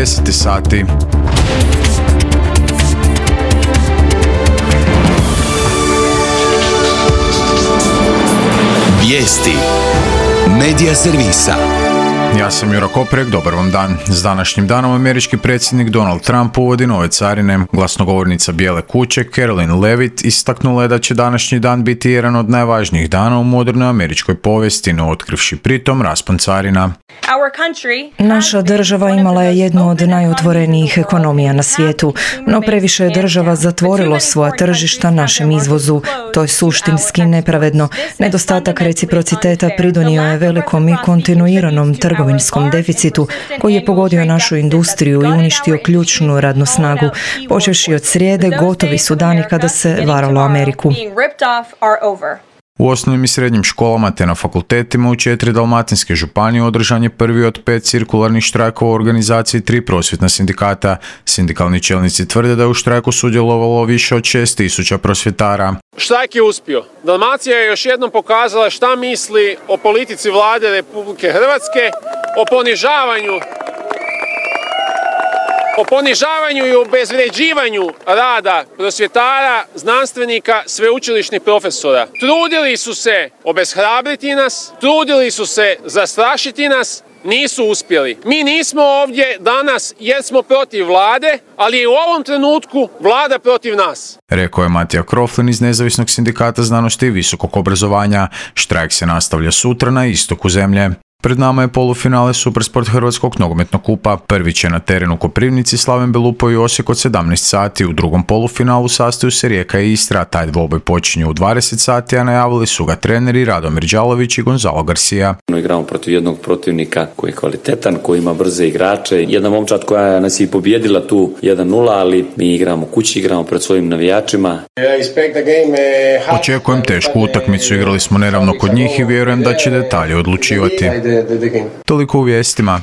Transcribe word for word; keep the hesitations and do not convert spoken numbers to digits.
deset sati. Vijesti Medija servisa. Ja sam Jura Koprek, dobar vam dan. S današnjim danom američki predsjednik Donald Trump uvodi nove carine. Glasnogovornica Bijele kuće Karoline Leavitt istaknula je da će današnji dan biti jedan od najvažnijih dana u modernoj američkoj povijesti, no otkrivši pritom raspon carina. Naša država imala je jednu od najotvorenijih ekonomija na svijetu, no previše je država zatvorilo svoja tržišta našem izvozu. To je suštinski nepravedno. Nedostatak reciprociteta pridonio je velikom i kontinuiranom trgovinskom deficitu koji je pogodio našu industriju i uništio ključnu radnu snagu. Počevši od srijede, gotovi su dani kada se varalo Ameriku. U osnovnim i srednjim školama te na fakultetima u četiri dalmatinske županije održan je prvi od pet cirkularnih štrajkova u organizaciji tri prosvjetna sindikata. Sindikalni čelnici tvrde da je u štrajku sudjelovalo više od šest tisuća prosvjetara. Štrajk je uspio. Dalmacija je još jednom pokazala šta misli o politici vlade Republike Hrvatske, o ponižavanju o ponižavanju i obezvređivanju rada prosvjetara, znanstvenika, sveučilišnih profesora. Trudili su se obeshrabriti nas, trudili su se zastrašiti nas, nisu uspjeli. Mi nismo ovdje danas jer smo protiv vlade, ali je u ovom trenutku vlada protiv nas. Rekao je Matija Kroflin iz Nezavisnog sindikata znanosti i visokog obrazovanja. Štrajk se nastavlja sutra na istoku zemlje. Pred nama je polufinale Supersport Hrvatskog nogometnog kupa. Prvi će na terenu u Koprivnici Slaven Belupo i Osijek od sedamnaest sati. U drugom polufinalu sastaju se Rijeka i Istra. Taj dvoboj počinje u dvadeset sati, a najavili su ga treneri Radomir Đalović i Gonzalo Garcia. Igramo protiv jednog protivnika koji je kvalitetan, koji ima brze igrače. Jedna momčad koja nas je pobjedila tu jedan nula, ali mi igramo kući, igramo pred svojim navijačima. Očekujem tešku utakmicu, igrali smo neravno kod njih i vjerujem da će detalje odlučivati. Toliko u vijestima.